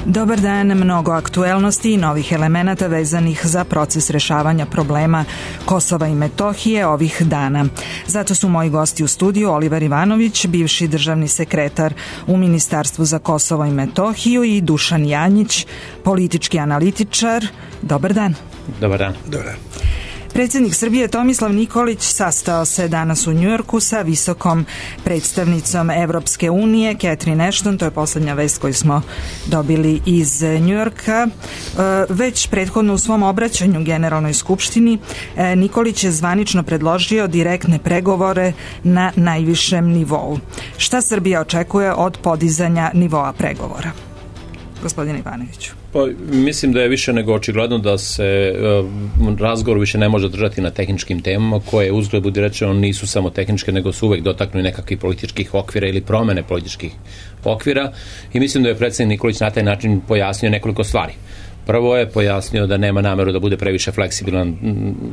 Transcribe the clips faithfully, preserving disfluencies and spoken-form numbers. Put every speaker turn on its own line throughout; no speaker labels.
Dobar dan, mnogo aktuelnosti i novih elemenata vezanih za proces rešavanja problema Kosova i Metohije ovih dana. Zato su moji gosti u studiju Oliver Ivanović, bivši državni sekretar u Ministarstvu za Kosovo i Metohiju, i Dušan Janjić, politički analitičar. Dobar dan.
Dobar dan.
Dobar dan.
Predsjednik Srbije Tomislav Nikolić sastao se danas u Njujorku sa visokom predstavnicom Evropske unije Catherine Ashton. To je poslednja vest koju smo dobili iz Njujorka. Već prethodno u svom obraćanju Generalnoj skupštini Nikolić je zvanično predložio direktne pregovore na najvišem nivou. Šta Srbija očekuje od podizanja nivoa pregovora? Gospodine Ivanoviću.
Pa, mislim da je više nego očigledno da se uh, razgovor više ne može držati na tehničkim temama koje, uzgled budi rečeno, nisu samo tehničke, nego su uvek dotaknuli nekakvih političkih okvira ili promene političkih okvira, i mislim da je predsjednik Nikolić na taj način pojasnio nekoliko stvari. Prvo je pojasnio da nema nameru da bude previše fleksibilan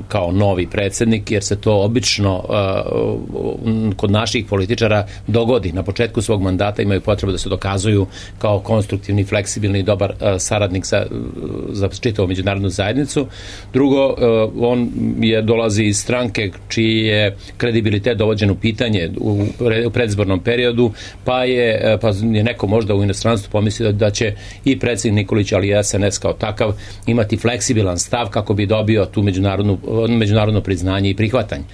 kao novi predsjednik, jer se to obično uh, kod naših političara dogodi. Na početku svog mandata imaju potrebu da se dokazuju kao konstruktivni, fleksibilni i dobar uh, saradnik za, za čitavu međunarodnu zajednicu. Drugo, uh, on je dolazi iz stranke čiji je kredibilitet dovođen u pitanje u, u predizbornom periodu, pa je, pa je neko možda u inostranstvu pomislio da, da će i predsjednik Nikolić, ali i S N S kao takav imati fleksibilan stav kako bi dobio tu međunarodnu, međunarodno priznanje i prihvatanje.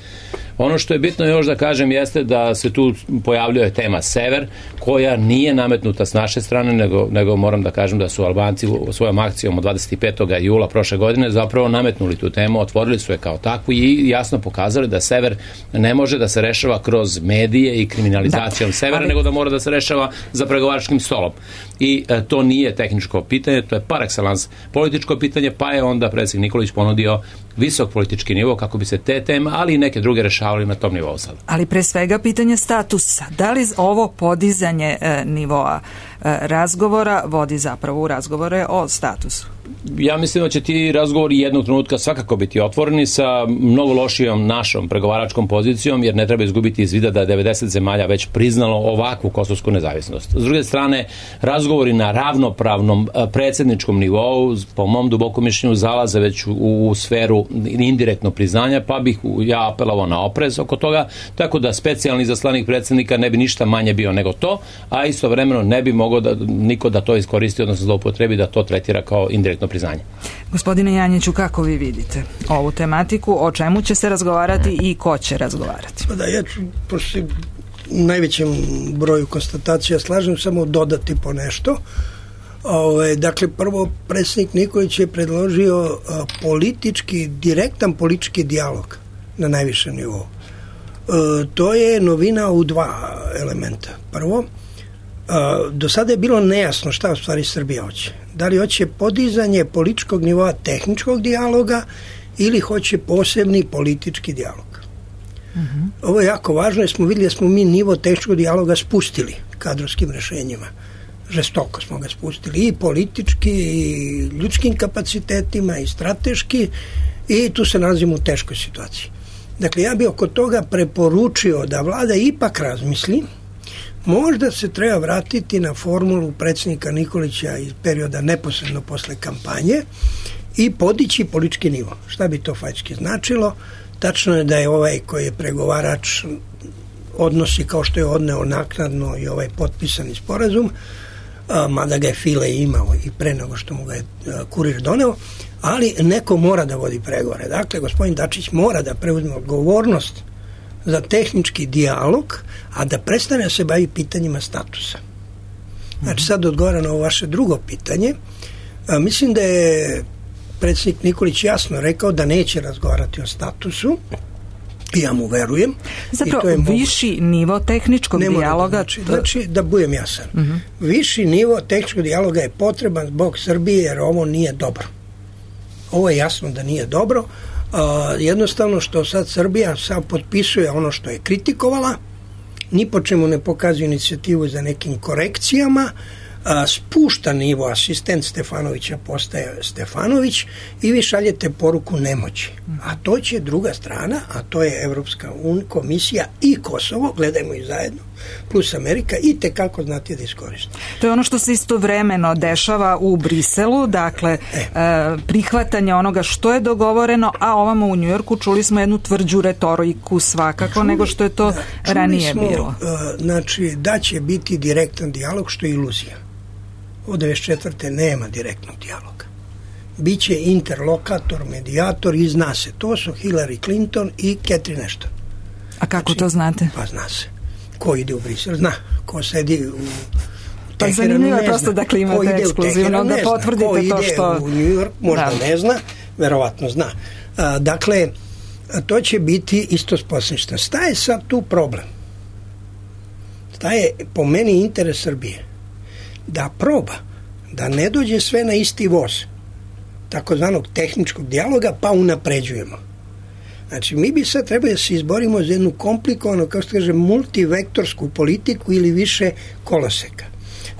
Ono što je bitno još da kažem jeste da se tu pojavljuje tema Sever, koja nije nametnuta s naše strane, nego, nego moram da kažem da su Albanci svojom akcijom od dvadeset petog jula prošle godine zapravo nametnuli tu temu, otvorili su je kao takvu i jasno pokazali da Sever ne može da se rešava kroz medije i kriminalizacijom da, Severa, ali... nego da mora da se rešava za pregovaračkim stolom. I e, to nije tehničko pitanje, to je par excellence političko pitanje, pa je onda predsjednik Nikolić ponudio visok politički nivo kako bi se te teme, ali i neke druge rešavali na tom nivou sada.
Ali pre svega pitanje statusa. Da li ovo podizanje e, nivoa e, razgovora vodi zapravo u razgovore o statusu?
Ja mislim da će ti razgovori jednog trenutka svakako biti otvoreni sa mnogo lošijom našom pregovaračkom pozicijom, jer ne treba izgubiti iz vida da je devedeset zemalja već priznalo ovakvu kosovsku nezavisnost. S druge strane, razgovori na ravnopravnom predsjedničkom nivou, po mom dubokom mišljenju, zalaze već u, u sferu indirektnog priznanja, pa bih ja apelovao na oprez oko toga, tako da specijalni izaslanik predsjednika ne bi ništa manje bio nego to, a istovremeno ne bi mogao da niko da to iskoristi, odnosno zloupotrebi da to tretira kao indirektno priznanje.
Gospodine Janjiću, kako vi vidite ovu tematiku, o čemu će se razgovarati i ko će razgovarati?
Da, ja ću, pošto u najvećem broju konstatacija slažem, samo dodati po nešto. Ove, dakle, prvo, predsjednik Nikolić je predložio a, politički, direktan politički dijalog na najvišem nivou. E, to je novina u dva elementa. Prvo, a, do sada je bilo nejasno šta u stvari Srbija hoće. Da li hoće podizanje političkog nivoa tehničkog dijaloga ili hoće posebni politički dijalog. Uh-huh. Ovo je jako važno jer smo vidjeli da smo mi nivo tehničkog dijaloga spustili kadrovskim rešenjima. Žestoko smo ga spustili i politički, i ljudskim kapacitetima, i strateški, i tu se nalazimo u teškoj situaciji. Dakle, ja bih oko toga preporučio da vlada ipak razmisli. Možda se treba vratiti na formulu predsjednika Nikolića iz perioda neposredno posle kampanje i podići politički nivo. Šta bi to faktički značilo? Tačno je da je ovaj koji je pregovarač odnosi kao što je odneo naknadno i ovaj potpisani sporazum, a, mada ga je File imao i pre nego što mu ga je a, kurir doneo, ali neko mora da vodi pregovore. Dakle, gospodin Dačić mora da preuzme odgovornost za tehnički dijalog, a da prestane se bavi pitanjima statusa. Znači, sad odgovara na ovo vaše drugo pitanje. A, mislim da je predsjednik Nikolić jasno rekao da neće razgovarati o statusu, i ja mu verujem.
Zapravo, i to je viši moguće. Nivo tehničkog ne dijaloga...
Znači, to... znači, da budem jasan. Uh-huh. Viši nivo tehničkog dijaloga je potreban zbog Srbije, jer ovo nije dobro. Ovo je jasno da nije dobro. Uh, jednostavno što sad Srbija sad potpisuje ono što je kritikovala, ni po čemu ne pokazuje inicijativu za nekim korekcijama, a, spušta nivo, asistent Stefanovića postaje Stefanović i vi šaljete poruku nemoći. A to će druga strana, a to je Evropska un, komisija i Kosovo, gledajmo i zajedno, plus Amerika, i tekako znati da iskoriste.
To je ono što se istovremeno dešava u Briselu, dakle e. prihvatanje onoga što je dogovoreno, a ovamo u Njujorku čuli smo jednu tvrđu retoriku svakako čuli, nego što je to da, ranije smo, bilo.
Znači da će biti direktan dijalog, što je iluzija. Od devedeset četvrte nema direktnog dijaloga. Biće interlokator, medijator i zna se. To su Hillary Clinton i Catherine Ashton.
A kako
znači,
to znate?
Pa zna se. Ko ide u Brisel, zna. Ko sedi u
Pa zanimljivo je prosto da klimate ekskluzivno, da potvrdite to što...
Ko ide u New York, možda da. ne zna, verovatno zna. A, dakle, to će biti isto sposništa. Šta je sad tu problem? Šta je po meni interes Srbije? Da proba, da ne dođe sve na isti voz, takozvanog tehničkog dijaloga, pa unapređujemo. Znači, mi bi sad trebali da se izborimo za jednu komplikovanu, kao što kaže, multivektorsku politiku ili više koloseka.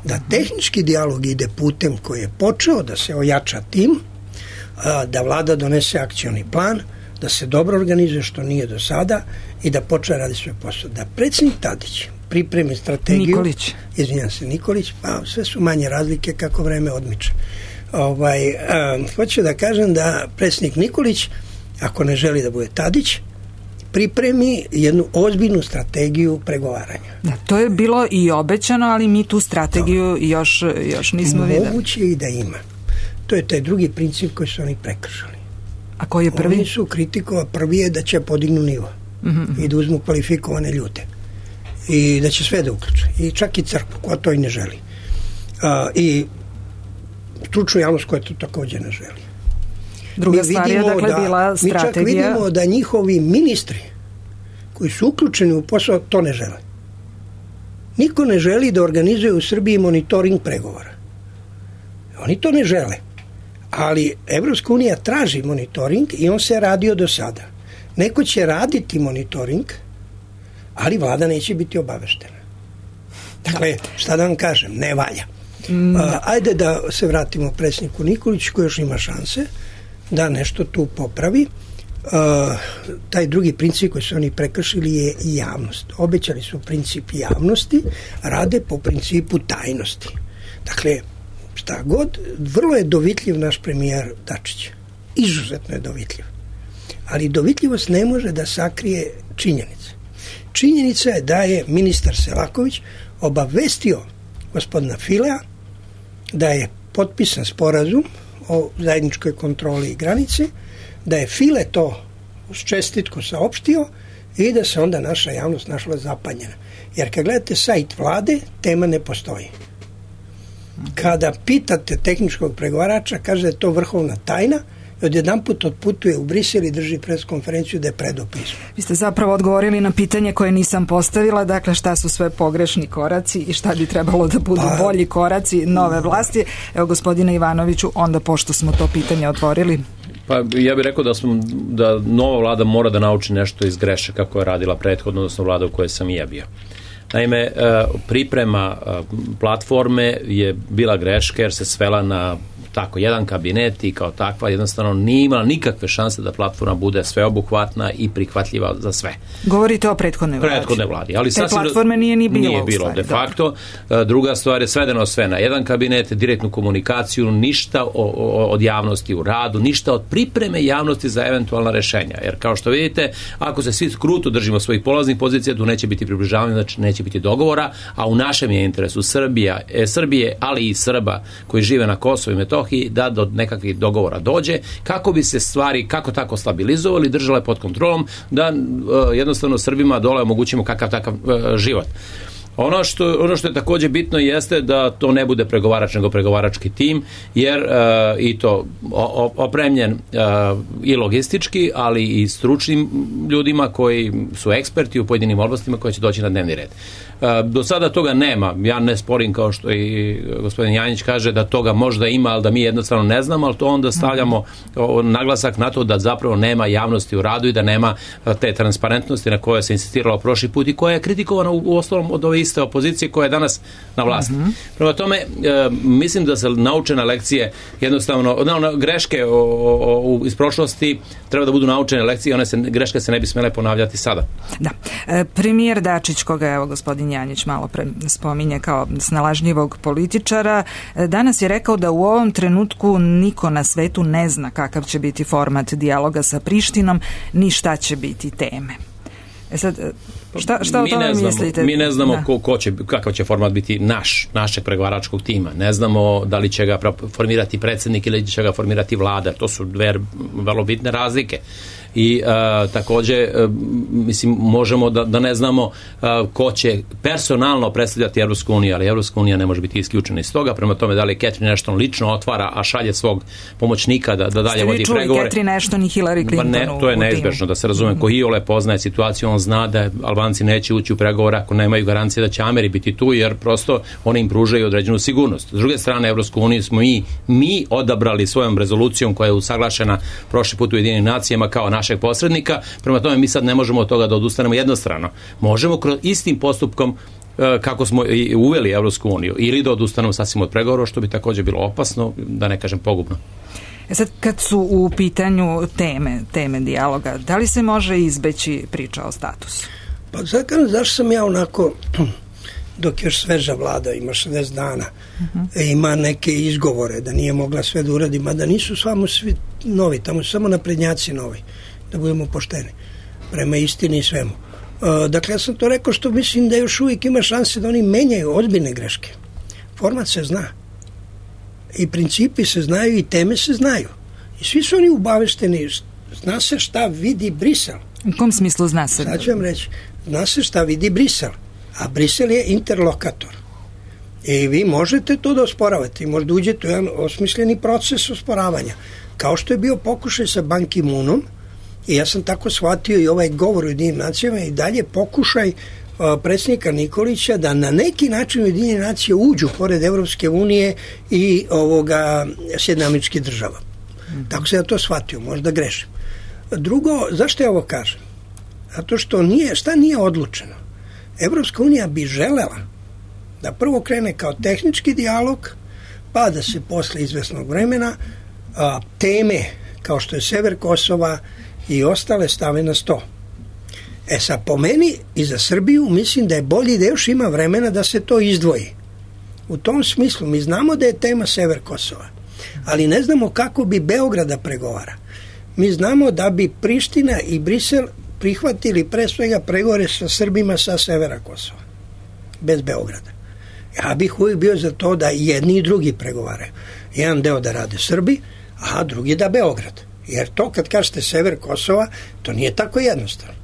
Da tehnički dijalog ide putem koji je počeo, da se ojača tim, da vlada donese akcioni plan, da se dobro organizuje što nije do sada i da počne radi sve posao. Da predsjednik Tadić pripremi strategiju...
Nikolić.
Izvinjam se, Nikolić, pa sve su manje razlike kako vreme odmiče. Ovaj, a, hoću da kažem da predsjednik Nikolić, ako ne želi da bude Tadić, pripremi jednu ozbiljnu strategiju pregovaranja.
Da, to je bilo i obećano, ali mi tu strategiju još, još nismo videli.
Moguće i da ima. To je taj drugi princip koji su oni prekršali.
A koji je prvi?
Oni su kritikova, prvi je da će podignu nivo mm-hmm. i da uzmu kvalifikovane ljude i da će sve da uključe i čak i crkvu koja to i ne želi a, i stručnu javnost koja to također ne želi.
Druga stvar je dakle da, bila strategija.
Mi čak vidimo da njihovi ministri koji su uključeni u posao to ne žele. Niko ne želi da organizuje u Srbiji monitoring pregovora. Oni to ne žele. Ali Evropska unija traži monitoring i on se radio do sada. Neko će raditi monitoring, ali vlada neće biti obaveštena. Dakle, šta da vam kažem, ne valja. Mm. A, ajde da se vratimo predsjedniku Nikoliću koji još ima šanse da nešto tu popravi. A, taj drugi princip koji su oni prekršili je i javnost. Obećali su princip javnosti, rade po principu tajnosti. Dakle, šta god, vrlo je dovitljiv naš premijer Dačić. Izuzetno je dovitljiv. Ali dovitljivost ne može da sakrije činjenice. Činjenica je da je ministar Selaković obavestio gospodina Filea da je potpisan sporazum o zajedničkoj kontroli granice, da je File to uz čestitku saopštio i da se onda naša javnost našla zapanjena. Jer kad gledate sajt vlade, tema ne postoji. Kada pitate tehničkog pregovarača, kaže da je to vrhovna tajna, i odjedan put otputuje u Brisel i drži pres konferenciju da je predao pismo.
Vi ste zapravo odgovorili na pitanje koje nisam postavila, dakle šta su sve pogrešni koraci i šta bi trebalo da budu pa, bolji koraci nove vlasti. Evo, gospodine Ivanoviću, onda pošto smo to pitanje otvorili.
Pa ja bih rekao da, smo, da nova vlada mora da nauči nešto iz grešaka koje je radila prethodno, odnosno vlada u kojoj sam i ja bio. Naime, priprema platforme je bila greška jer se svela na tako jedan kabinet i kao takva jednostavno nije imala nikakve šanse da platforma bude sveobuhvatna i prihvatljiva za sve.
Govorite o prethodnoj vladi.
Prethodne vladi. Ali
te sasvim, platforme nije ni bilo.
Nije bilo,
stvari,
de facto. Da. Druga stvar je svedeno sve na jedan kabinet, direktnu komunikaciju, ništa o, o, od javnosti u radu, ništa od pripreme javnosti za eventualna rešenja. Jer kao što vidite, ako se svi kruto držimo svojih polaznih pozicija, tu neće biti približavanja, znači neće biti dogovora, a u našem je interesu Srbija, e, Srbije, ali i Srba koji žive na Kosovu i Metohiji, da do nekakvih dogovora dođe, kako bi se stvari kako tako stabilizovali, držale pod kontrolom, da uh, jednostavno Srbima dole omogućimo kakav takav uh, život. Ono što, ono što je također bitno jeste da to ne bude pregovarač nego pregovarački tim, jer uh, i to opremljen uh, i logistički, ali i stručnim ljudima koji su eksperti u pojedinim oblastima koji će doći na dnevni red. Uh, do sada toga nema. Ja ne sporim, kao što i gospodin Janjić kaže, da toga možda ima, ali da mi jednostavno ne znamo, ali to onda stavljamo naglasak na to da zapravo nema javnosti u radu i da nema te transparentnosti na koje se insistiralo prošli put i koja je kritikovana u, u osnovom od ove iste opozicije koja je danas na vlasti. Mm-hmm. Prema tome, e, mislim da se naučene lekcije jednostavno, no, no, greške o, o, o, iz prošlosti treba da budu naučene lekcije, one se, greške se ne bi smjele ponavljati sada.
Da. E, premijer Dačić, koga evo gospodin Janjić malo pre spominje kao snalažljivog političara, danas je rekao da u ovom trenutku niko na svetu ne zna kakav će biti format dijaloga sa Prištinom, ni šta će biti teme. E sad, šta, šta o tome mislite?
Mi ne znamo ko, ko će, kakav će format biti naš, našeg pregovaračkog tima. Ne znamo da li će ga formirati predsjednik ili će ga formirati vlada. To su dve vrlo bitne razlike. I a, također a, mislim možemo da, da ne znamo a, ko će personalno predstavljati Evropsku uniju, ali Evropska unija ne može biti isključena iz toga. Prema tome da li Catherine Ashton lično otvara, a šalje svog pomoćnika da, da dalje vodi pregovore. Ste vi čuli Catherine Ashton i Hillary Clinton? Pa ne, to je neizbežno, da se razume. Ko iole poznaje situaciju, on zna da Albanci neće ući u pregovore ako nemaju garancije da će Ameri biti tu, jer prosto oni im pružaju određenu sigurnost. S druge strane, Evropsku uniju smo i mi odabrali svojom rezolucijom koja je usaglašena prošli put u Ujedinjenim nacijama kao našeg posrednika, prema tome mi sad ne možemo od toga da odustanemo jednostrano. Možemo kroz istim postupkom kako smo i uveli Evropsku uniju ili da odustanemo sasvim od pregovora, što bi također bilo opasno, da ne kažem pogubno.
E sad, kad su u pitanju teme, teme dijaloga, da li se može izbeći priča o statusu?
Pa zakon, zašto sam ja onako, dok još sveža vlada, ima šezdeset dana, uh-huh. ima neke izgovore da nije mogla sve da uradi, mada nisu samo svi novi, tamo su samo naprednjaci novi, da budemo pošteni, prema istini i svemu. Uh, dakle, ja sam to rekao što mislim da još uvijek ima šanse da oni menjaju ozbiljne greške. Format se zna. I principi se znaju i teme se znaju. I svi su oni ubavešteni. Zna se šta vidi Brisel.
U kom smislu zna se?
Sad ću vam reći. Zna se šta vidi Brisel. A Brisel je interlokator. I vi možete to da osporavate. I možda uđete u jedan osmišljeni proces osporavanja. Kao što je bio pokušaj sa Ban Ki-moonom. I ja sam tako shvatio i ovaj govor u Ujedinjenim nacijama i dalje pokušaj uh, predsjednika Nikolića da na neki način Ujedinjene nacije uđu pored Evropske unije i ovoga Sjedinjenih Američkih Država. Mm-hmm. Tako se ja to shvatio, možda grešim. Drugo, zašto ja ovo kažem? Zato što nije, šta nije odlučeno? Evropska unija bi želela da prvo krene kao tehnički dijalog, pa da se posle izvesnog vremena a, teme kao što je sever Kosova i ostale stave na sto. E sad, po meni i za Srbiju mislim da je bolje da još ima vremena da se to izdvoji. U tom smislu mi znamo da je tema sever Kosova, ali ne znamo kako bi Beograd da pregovara. Mi znamo da bi Priština i Brisel prihvatili pre svega pregovore sa Srbima sa severa Kosova, bez Beograda. Ja bih uvijek bio za to da jedni i drugi pregovaraju. Jedan deo da rade Srbi, a drugi da Beograd. Jer to kad kažete sever Kosova, to nije tako jednostavno.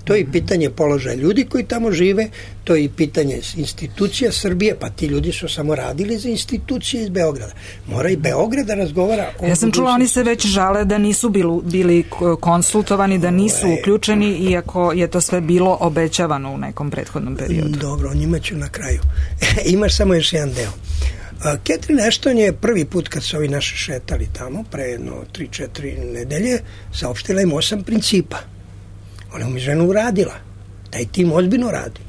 To je i pitanje položaja ljudi koji tamo žive, to je i pitanje institucija Srbije, pa ti ljudi su samo radili za institucije iz Beograda. Mora i Beograd da razgovara o...
Ja sam čula, oni se već žale da nisu bili, bili konsultovani, da nisu uključeni, iako je to sve bilo obećavano u nekom prethodnom periodu.
Dobro, o njima ću na kraju. Imaš samo još jedan deo. Catherine Ashton je prvi put kad su ovi naši šetali tamo, pre jedno tri četiri nedelje, saopštila im osam principa. Ona je ženu uradila. Taj tim ozbiljno radi.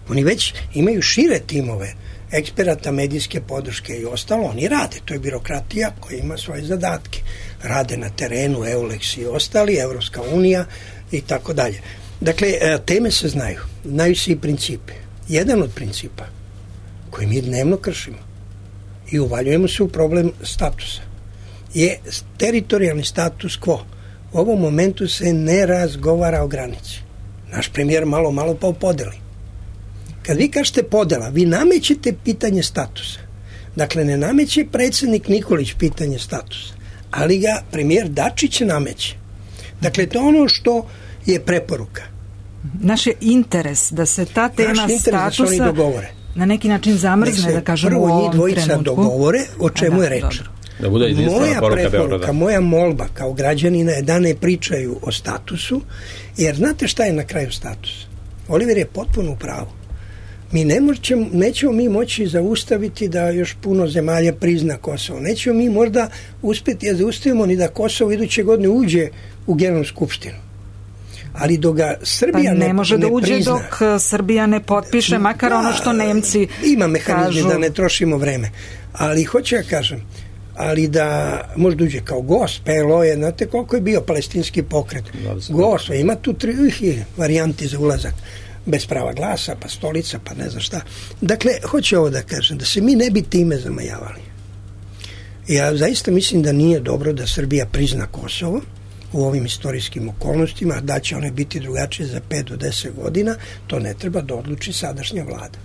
Oni već imaju šire timove eksperata, medijske podrške i ostalo. Oni rade. To je birokratija koja ima svoje zadatke. Rade na terenu, Eulex i ostali, Evropska unija i tako dalje. Dakle, teme se znaju. Znaju se i principe. Jedan od principa koji mi dnevno kršimo i uvaljujemo se u problem statusa je teritorijalni status quo. U ovom momentu se ne razgovara o granici. Naš premijer malo, malo pa podeli. Kad vi kažete podela, vi namećete pitanje statusa. Dakle, ne nameće predsjednik Nikolić pitanje statusa, ali ga premijer Dačić nameće. Dakle, to je ono što je preporuka.
Naš je interes da se ta tema statusa
da
na neki način zamrzne, da kažemo u ovom trenutku.
Prvo njih dvojica dogovore o čemu da, je reč.
Dobro.
Da bude
moja preporuka, moja molba kao građanina je da ne pričaju o statusu, jer znate šta je na kraju status? Oliver je potpuno u pravu. Mi ne moćemo, nećemo mi moći zaustaviti da još puno zemalja prizna Kosovo. Nećemo mi možda uspjeti da zaustavimo ni da Kosovo iduće godine uđe u Generalnu skupštinu. ali dok ga Srbija
pa ne, ne može
ne
da uđe
prizna,
dok Srbija ne potpiše, makar da, ono što Nemci
ima mehanizme
kažu.
Da ne trošimo vreme, ali hoću ja kažem, ali da možda uđe kao gost, P L O je, znate koliko je bio palestinski pokret, gost, ima tu tri varijanti za ulazak, bez prava glasa, pa stolica, pa ne znam šta. Dakle, hoću ovo da kažem, da se mi ne bi time zamajavali. Ja zaista mislim da nije dobro da Srbija prizna Kosovo u ovim istorijskim okolnostima, da će one biti drugačije za pet do deset godina, to ne treba da odluči sadašnja vlada.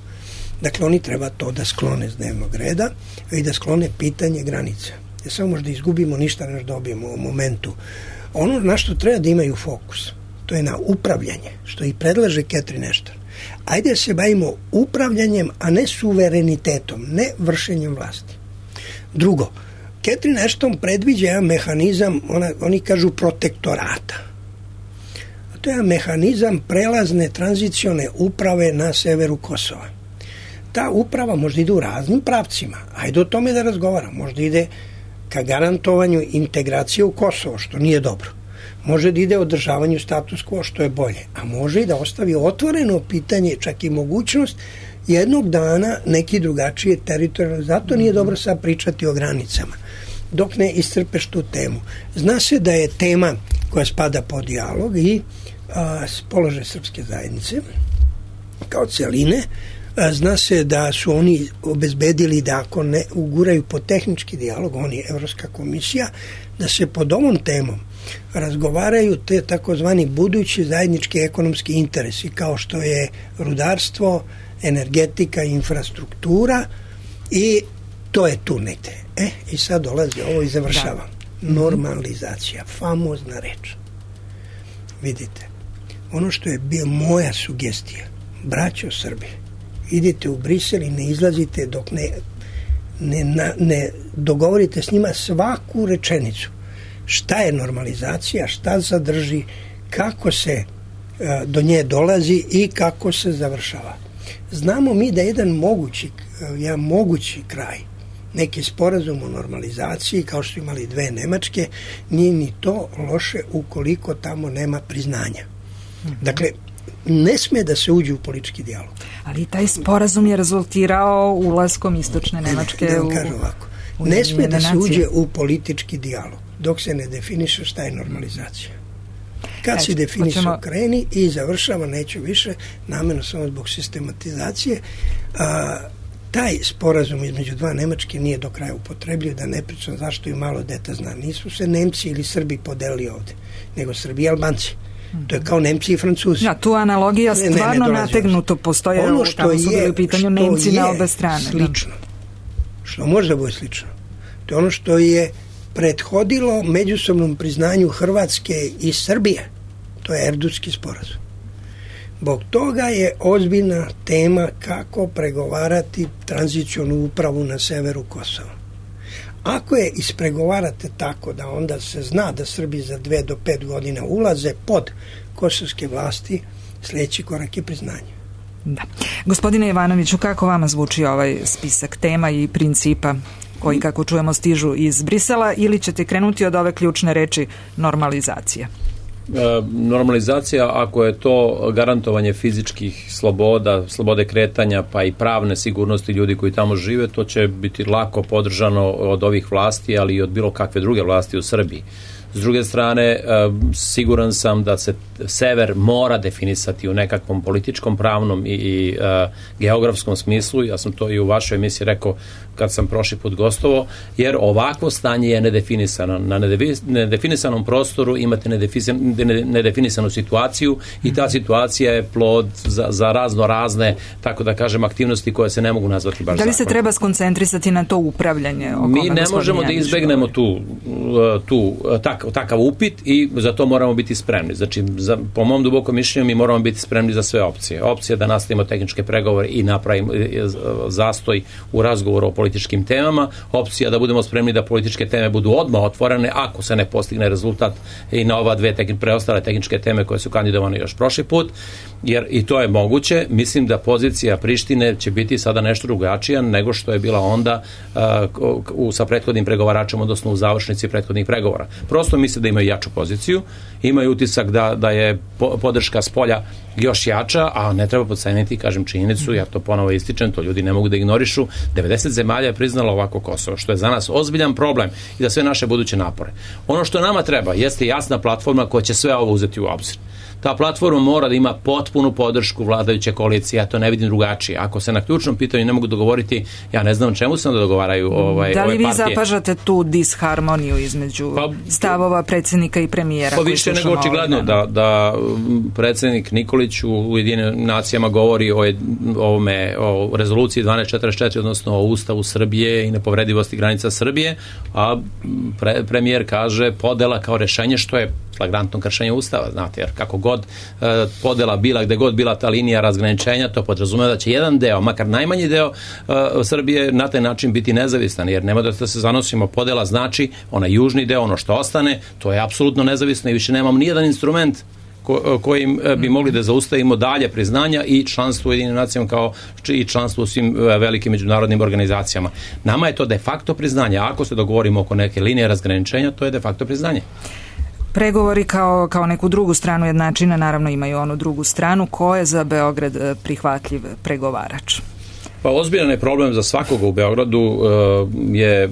Dakle, oni treba to da sklone s dnevnog reda i da sklone pitanje granice. Jer samo možda izgubimo, ništa ne dobijemo u momentu. Ono na što treba da imaju fokus, to je na upravljanje, što i predlaže Catherine Ashton. Ajde da se bavimo upravljanjem, a ne suverenitetom, ne vršenjem vlasti. Drugo, Catherine Ashton predviđa jedan mehanizam, ona, oni kažu protektorata. A to je mehanizam prelazne tranzicione uprave na severu Kosova. Ta uprava možda ide u raznim pravcima. Ajde o tome da razgovaram. Možda ide ka garantovanju integracije u Kosovo, što nije dobro. Može da ide održavanju status quo, što je bolje. A može i da ostavi otvoreno pitanje, čak i mogućnost jednog dana neki drugačije teritorijalno. Zato nije dobro sad pričati o granicama, dok ne iscrpeš tu temu. Zna se da je tema koja spada pod dijalog i a, položaj srpske zajednice kao celine. A, zna se da su oni obezbedili da ako ne uguraju po tehnički dijalog, oni Evropska komisija, da se pod ovom temom razgovaraju te takozvani budući zajednički ekonomski interesi, kao što je rudarstvo, energetika, infrastruktura, i to je tu negde. E, i sad dolazi ovo i završavam. Da. Normalizacija, famozna reč. Vidite, ono što je bio moja sugestija, braćo Srbi, idite u Brisel i ne izlazite dok ne, ne, na, ne dogovorite s njima svaku rečenicu. Šta je normalizacija, šta sadrži, kako se a, do nje dolazi i kako se završava. Znamo mi da jedan mogući, jedan mogući kraj, neki sporazum o normalizaciji, kao što imali dve Nemačke, nije ni to loše ukoliko tamo nema priznanja. Dakle, ne sme da se uđe u politički dijalog.
Ali taj sporazum je rezultirao ulaskom istočne Nemačke
da vam
u...
kažem ovako, ne sme da se uđe u politički dijalog dok se ne definiše šta je normalizacija. Kad e, se definiše, hoćemo... kreni i završava, neću više, namjerno samo zbog sistematizacije. A, taj sporazum između dva Nemačke nije do kraja upotrebljiv, da ne pričam zašto i malo deta zna. Nisu se Nemci ili Srbi podelili ovde, nego Srbi i Albanci. To je kao Nemci i Francuzi.
Ja, tu analogija stvarno ne, ne, ne nategnuto postoje, ono što tamo su bili u pitanju Nemci na obe strane.
Slično, što može da bude slično, to je ono što je prethodilo međusobnom priznanju Hrvatske i Srbije. To je Erdutski sporazum. Zbog toga je ozbiljna tema kako pregovarati tranzicionu upravu na severu Kosova. Ako je ispregovarate tako da onda se zna da Srbi za dve do pet godina ulaze pod kosovske vlasti, sljedeći korak je priznanje.
Da. Gospodine Jovanoviću, kako vama zvuči ovaj spisak tema i principa koji, kako čujemo, stižu iz Brisela, ili ćete krenuti od ove ključne reči normalizacija?
E, normalizacija, ako je to garantovanje fizičkih sloboda, slobode kretanja, pa i pravne sigurnosti ljudi koji tamo žive, to će biti lako podržano od ovih vlasti, ali i od bilo kakve druge vlasti u Srbiji. S druge strane, siguran sam da se sever mora definisati u nekakvom političkom, pravnom i, i uh, geografskom smislu. Ja sam to i u vašoj emisiji rekao kad sam prošli put gostovo, jer ovakvo stanje je nedefinisano. Na nedefinisanom prostoru imate nedefinisanu situaciju i ta situacija je plod za, za razno razne, tako da kažem, aktivnosti koje se ne mogu nazvati baš
zakonom. Da li se
zakon.
treba skoncentrisati na to upravljanje?
Mi ne možemo da izbegnemo tu, tu tak, takav upit i za to moramo biti spremni. Znači, za, po mom dubokom mišljenju mi moramo biti spremni za sve opcije. Opcija da nastavimo tehničke pregovore i napravimo zastoj u razgovoru o političkim temama, opcija da budemo spremni da političke teme budu odmah otvorene ako se ne postigne rezultat i na ova dve tehn, preostale tehničke teme koje su kandidovane još prošli put, jer i to je moguće. Mislim da pozicija Prištine će biti sada nešto drugačija nego što je bila onda uh, u, sa prethodnim pregovaračom, odnosno u završnici prethodnih pregovora. Prosto prosto misle da imaju jaču poziciju, imaju utisak da, da je podrška s polja još jača, a ne treba podceniti, kažem, činjenicu, ja to ponovo ističem, to ljudi ne mogu da ignorišu, devedeset zemalja je priznalo ovako Kosovo, što je za nas ozbiljan problem i za sve naše buduće napore. Ono što nama treba jeste jasna platforma koja će sve ovo uzeti u obzir. Ta platforma mora da ima potpunu podršku vladajuće koalicije, ja to ne vidim drugačije. Ako se na ključnom pitanju ne mogu dogovoriti, ja ne znam čemu se onda dogovaraju ovaj,
da li
ove
vi
partije.
Zapažate tu disharmoniju između pa, stavova predsjednika i premijera?
Pa više nego očigledno da, da predsjednik Nikolić u Ujedinjenim nacijama govori o, ovome, o rezoluciji dvanaest četrdeset četiri, odnosno o Ustavu Srbije i nepovredivosti granica Srbije, a pre, premijer kaže podela kao rešenje, što je flagrantno kršenje Ustava, znate, jer kako god e, podela bila, gde god bila ta linija razgraničenja, to podrazumeva da će jedan deo, makar najmanji deo e, Srbije na taj način biti nezavistan, jer nema da se zanosimo, podela znači onaj južni deo, ono što ostane, to je apsolutno nezavisno i više nemamo nijedan instrument ko, kojim bi mogli da zaustavimo dalje priznanja i članstvo u Ujedinjenim nacijama kao i članstvo u svim velikim međunarodnim organizacijama. Nama je to de facto priznanje, a ako se dogovorimo oko neke linije razgraničenja, to je de facto priznanje.
Pregovori kao, kao neku drugu stranu jednačine naravno imaju onu drugu stranu. Ko je za Beograd prihvatljiv pregovarač?
Pa ozbiljan je problem za svakoga u Beogradu uh, je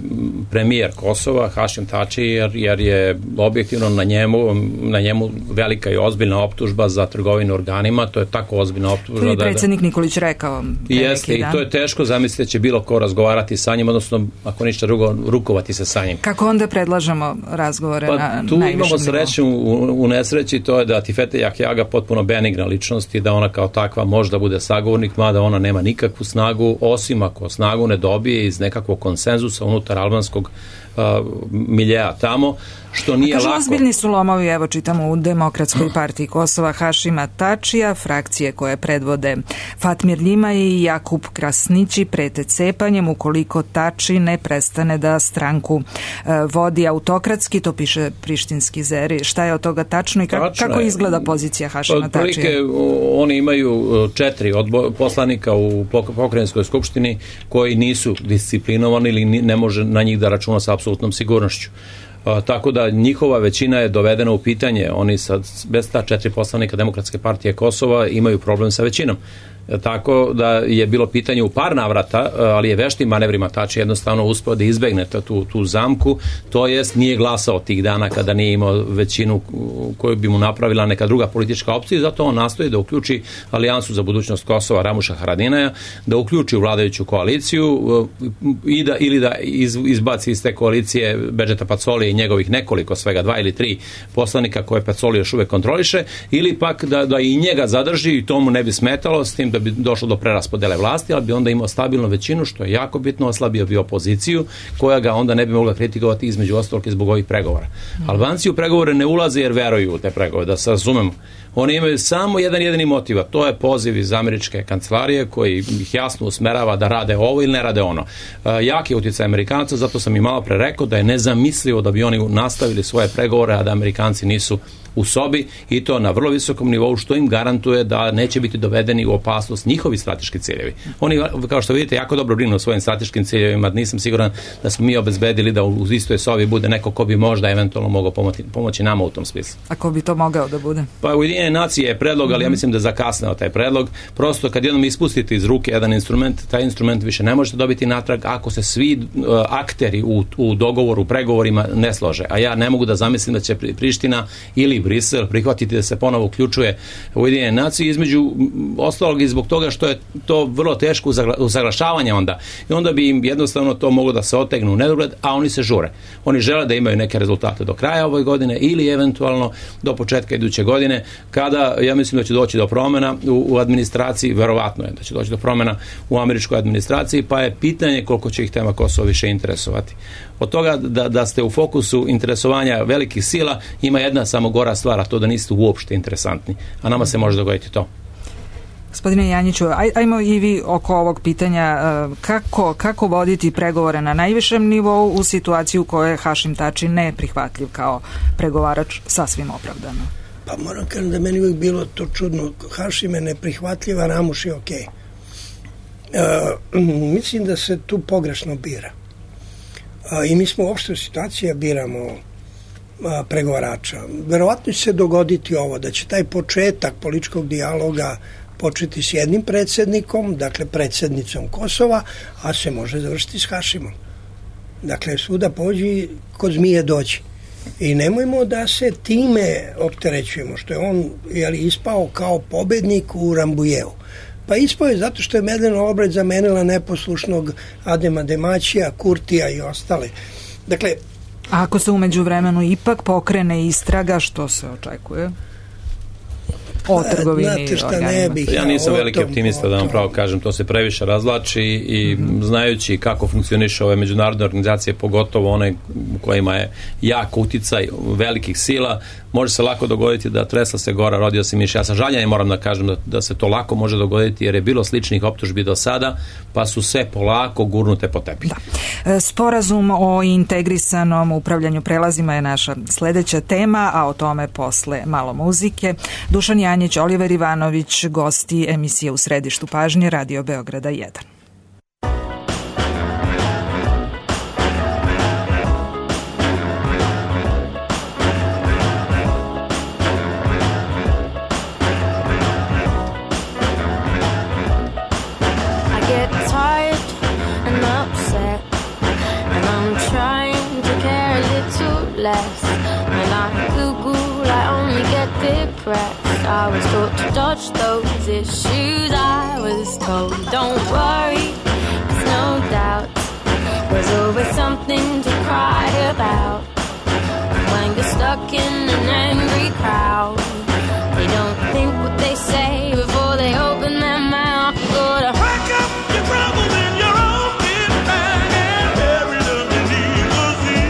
premijer Kosova, Hašim Tači, jer, jer je objektivno na njemu, na njemu velika i ozbiljna optužba za trgovinu organima, to je tako ozbiljna optužba.
To je predsjednik Nikolić rekao.
Jeste, i to je teško zamisliti da će bilo ko razgovarati sa njim, odnosno ako ništa drugo, rukovati se sa njim.
Kako onda predlažemo razgovore
pa,
na
tu
najvišem
imamo sreću u, u nesreći, to je da Tifete Jahjaga potpuno benigna ličnost i da ona kao takva možda bude sagovornik, mada ona nema nikakvu snagu, osim ako snagu ne dobije iz nekakvog konsenzusa unutar albanskog uh, miljeja tamo, što nije lako.
Ozbiljni su lomovi, evo čitamo u Demokratskoj partiji Kosova Hašima Tačija, frakcije koje predvode Fatmir Ljimaj i Jakub Krasnići prete cepanjem ukoliko Tači ne prestane da stranku uh, vodi autokratski, to piše prištinski Zeri. Šta je od toga tačno i kako,
tačno
kako izgleda pozicija Hašima
Tačija?
Tačija?
Oni imaju četiri odbo- poslanika u pokrajinskoj skupštini koji nisu disciplinovani ili ne može na njih da računa sa apsolutnom sigurnošću. Uh, tako da njihova većina je dovedena u pitanje. Oni sad, bez ta četiri poslanika Demokratske partije Kosova imaju problem sa većinom. Tako da je bilo pitanje u par navrata, ali je veštim manevrima Tači jednostavno uspeo da izbegne tu, tu zamku, to jest nije glasao tih dana kada nije imao većinu koju bi mu napravila neka druga politička opcija i zato on nastoji da uključi Alijansu za budućnost Kosova Ramuša Haradinaja, da uključi u vladajuću koaliciju i da, ili da iz, izbaci iz te koalicije Bedžeta Pacoli i njegovih nekoliko, svega dva ili tri poslanika koje Pacoli još uvek kontroliše, ili pak da, da i njega zadrži i to mu ne bi smetalo, s tim da bi došlo do preraspodele vlasti, ali bi onda imao stabilnu većinu, što je jako bitno, oslabio bi opoziciju, koja ga onda ne bi mogla kritikovati između ostalog i zbog ovih pregovora. Mm. Albanci u pregovore ne ulaze jer veruju u te pregovore, da se razumemo. Oni imaju samo jedan jedini motiv, a to je poziv iz američke kancelarije koji ih jasno usmerava da rade ovo ili ne rade ono. E, jak je utjecaj Amerikanca, zato sam i malo pre rekao da je nezamislivo da bi oni nastavili svoje pregovore, a da Amerikanci nisu u sobi i to na vrlo visokom nivou, što im garantuje da neće biti dovedeni u opasnost njihovi strateški ciljevi. Oni, kao što vidite, jako dobro brinu o svojim strateškim ciljevima, nisam siguran da smo mi obezbedili da u istoj sobi bude neko ko bi možda eventualno mogao pomoći, pomoći nama u tom smislu.
A ko bi to mogao da bude? Pa
Ujedinjene nacije je predlog, ali ja mislim da je zakasneo taj predlog. Prosto kad jednom ispustite iz ruke jedan instrument, taj instrument više ne možete dobiti natrag ako se svi uh, akteri u, u dogovoru, u pregovorima ne slože. A ja ne mogu da zamislim da će Priština ili Brisel prihvatiti da se ponovo uključuje Ujedinjene nacije, između ostalog i zbog toga što je to vrlo teško usaglašavanje onda. I onda bi im jednostavno to moglo da se otegnu u nedogled, a oni se žure. Oni žele da imaju neke rezultate do kraja ove godine ili eventualno do početka iduće godine, kada ja mislim da će doći do promjena u, u administraciji, verovatno je da će doći do promjena u američkoj administraciji, pa je pitanje koliko će ih tema Kosova više interesovati. Od toga da, da ste u fokusu interesovanja velikih sila, ima jedna samo gora stvar, a to da niste uopšte interesantni. A nama se može dogoditi to.
Gospodine Janjiću, aj, ajmo i vi oko ovog pitanja kako, kako voditi pregovore na najvišem nivou u situaciji u kojoj je Hašim Tači neprihvatljiv kao pregovarač, sasvim opravdano.
Pa moram kažem da meni uvijek bilo to čudno. Hašim je neprihvatljiva, Ramuš je okej. Okay. Uh, mislim da se tu pogrešno bira. Uh, I mi smo uopšte u situaciji da biramo a, pregovarača. Verovatno će se dogoditi ovo, da će taj početak političkog dijaloga početi s jednim predsjednikom, dakle predsjednicom Kosova, a se može završiti s Hašimom. Dakle, svuda pođi, kod zmije doći. I nemojmo da se time opterećujemo, što je on jeli, ispao kao pobednik u Rambujevu. Pa ispao je zato što je Medlena Albright zamenila neposlušnog Adema Demaćija, Kurtija i ostale. Dakle,
a ako se umeđu vremenu ipak pokrene istraga, što se očekuje? O trgovini i organima.
Ja nisam veliki optimista, da vam pravo kažem, to se previše razlači i mm-hmm. znajući kako funkcioniše ove međunarodne organizacije, pogotovo one u kojima je jak uticaj velikih sila, može se lako dogoditi da tresla se gora, rodio se miš. Ja sa žaljenjem moram da kažem da, da se to lako može dogoditi, jer je bilo sličnih optužbi do sada, pa su sve polako gurnute po tepih.
Da. Sporazum o integrisanom upravljanju prelazima je naša sledeća tema, a o tome posle malo muzike. Dušan Janjić, Oliver Ivanović, gosti emisije U središtu pažnje, Radio Beograda jedan.
Less. When I Google, I only get depressed. I was taught to dodge those issues. I was told, don't worry, there's no doubt. There's always something to cry about. When you're stuck in an angry crowd, they don't think what they say before they open their mouth. Go to pack up your troubles in your own big bag and bury them beneath the sea.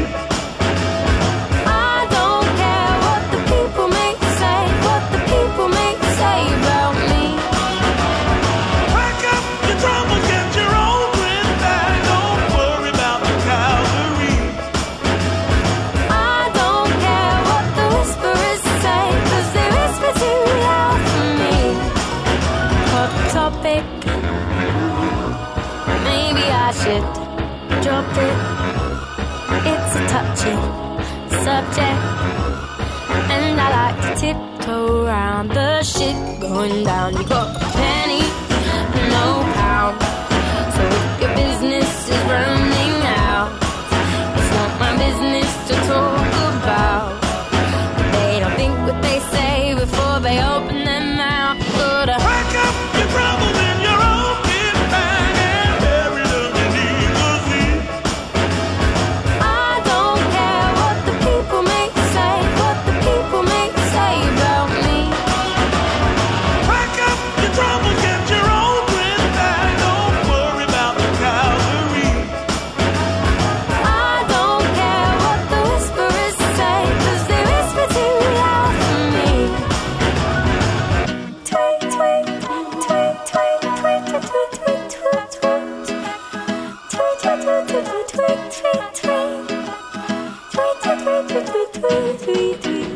I don't care what the people may say, what the people may say about me. Pack up your troubles, get your own twin bag. Don't worry about the cavalry. I don't care what the whisperers say, 'cause they whisper too loud for me. Hot topic, maybe I should drop it. It's a touchy subject, and I like to tiptoe around the shit going down. You got a penny, no pound. So if your business is running out, it's not my business to talk about. They don't think what they say before they open their mouth. Go to pack up your troubles in your own kid bag and bury them beneath the sea. I don't care what the people may say, what the people may say about me. Pack up your troubles, get your own twin bag. Don't worry about the cavalry. I don't care what the whisperers say, 'cause they whisper too loud for me. Tweet, tweet, tweet, tweet, tweet, tweet, tweet, tweet, tweet, tweet. Tweet, tweet, tweet, tweet, tweet, tweet, tweet, tweet. Tweet, tweet, tweet, tweet, tweet, tweet, tweet, tweet.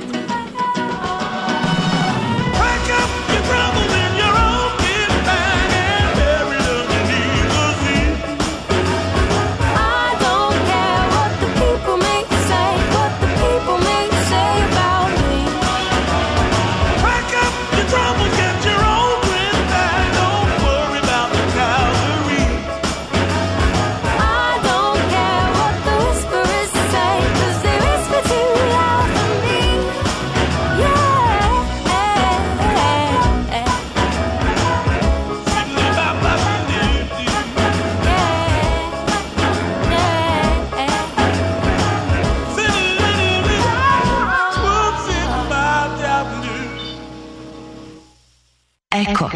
Pack up your troubles in your own kid bag and bury them beneath the sea. I don't care what the people may say, what the people may say about me. Pack up your troubles, get your own twin bag. Don't worry about the cavalry. I don't care what the whisperers say, 'cause they whisper too loud for me. Yeah.
Eko.